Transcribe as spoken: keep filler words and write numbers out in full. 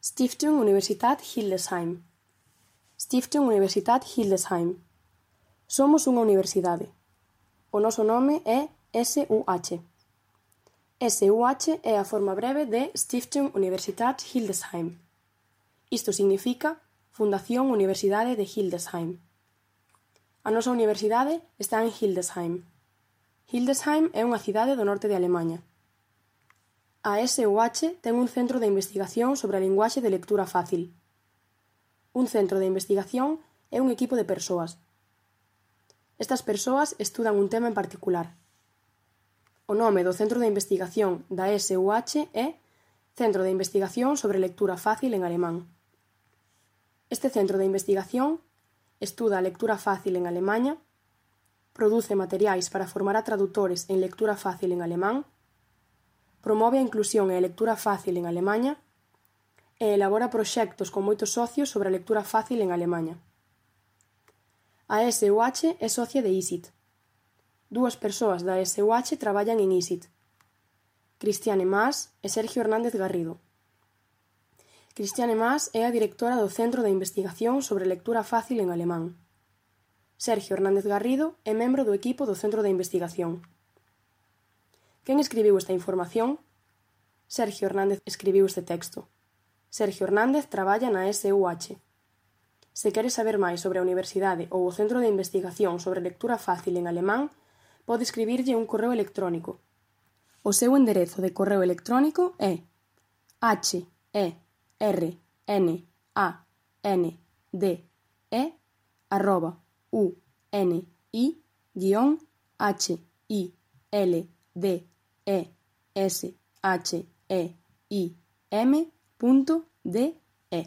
Stiftung Universitat Hildesheim. Stiftung Universitat Hildesheim. Somos unha universidade. O noso nome é S U H. S U H é a forma breve de Stiftung Universitat Hildesheim. Isto significa Fundación Universidade de Hildesheim. A nosa universidade está en Hildesheim. Hildesheim é unha cidade do norte de Alemaña. A S U H ten un centro de investigación sobre a linguaxe de lectura fácil. Un centro de investigación é un equipo de persoas. Estas persoas estudan un tema en particular. O nome do centro de investigación da S U H é Centro de Investigación sobre Lectura Fácil en Alemán. Este centro de investigación estuda a lectura fácil en Alemaña, produce materiais para formar a tradutores en lectura fácil en alemán, promove a inclusión e a lectura fácil en Alemaña e elabora proxectos con moitos socios sobre a lectura fácil en Alemaña. A S U H é socia de I S I T. Dúas persoas da S U H traballan en I S I T. Cristiane Mas e Sergio Hernández Garrido. Cristiane Mas é a directora do Centro de Investigación sobre Lectura Fácil en Alemán. Sergio Hernández Garrido é membro do equipo do Centro de Investigación. Quen escribiu esta información? Sergio Hernández escribiu este texto. Sergio Hernández traballa na S U H. Se queres saber máis sobre a universidade ou o Centro de Investigación sobre Lectura Fácil en alemán, pode escribirlle un correo electrónico. O seu enderezo de correo electrónico é h e r n a n d e arroba u n i guión h i l d e s h e i m punto d e